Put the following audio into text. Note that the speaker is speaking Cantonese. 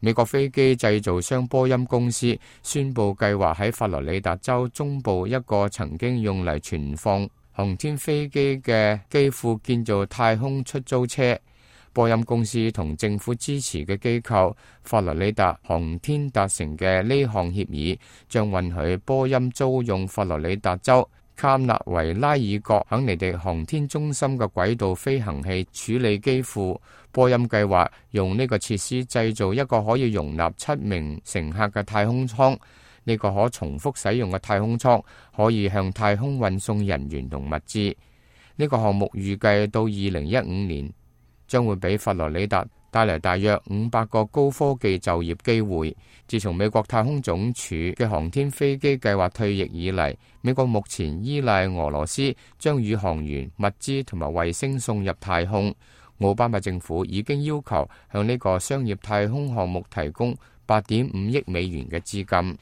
美國飛機製造商波音公司宣布計劃喺佛羅里達州中部一個曾經用嚟存放航天飛機嘅機庫建造太空出租車。波音公司同政府支持嘅機構佛羅里達航天達成嘅呢項協議，將允許波音租用佛羅里達州卡納維拉爾角肯尼迪航天中心嘅軌道飛行器處理機庫。波音計劃用呢個設施製造一個可以容納7名乘客嘅太空艙。呢個可重複使用嘅太空艙可以向太空運送人員同物資。呢個項目預計到2015年將會俾佛羅里達帶嚟大約500個高科技就業機會。自從美國太空總署嘅航天飛機計劃退役以嚟，美國目前依賴俄羅斯將宇航員、物資同埋衛星送入太空。奧巴馬政府已經要求向呢個商業太空項目提供8.5億美元嘅資金。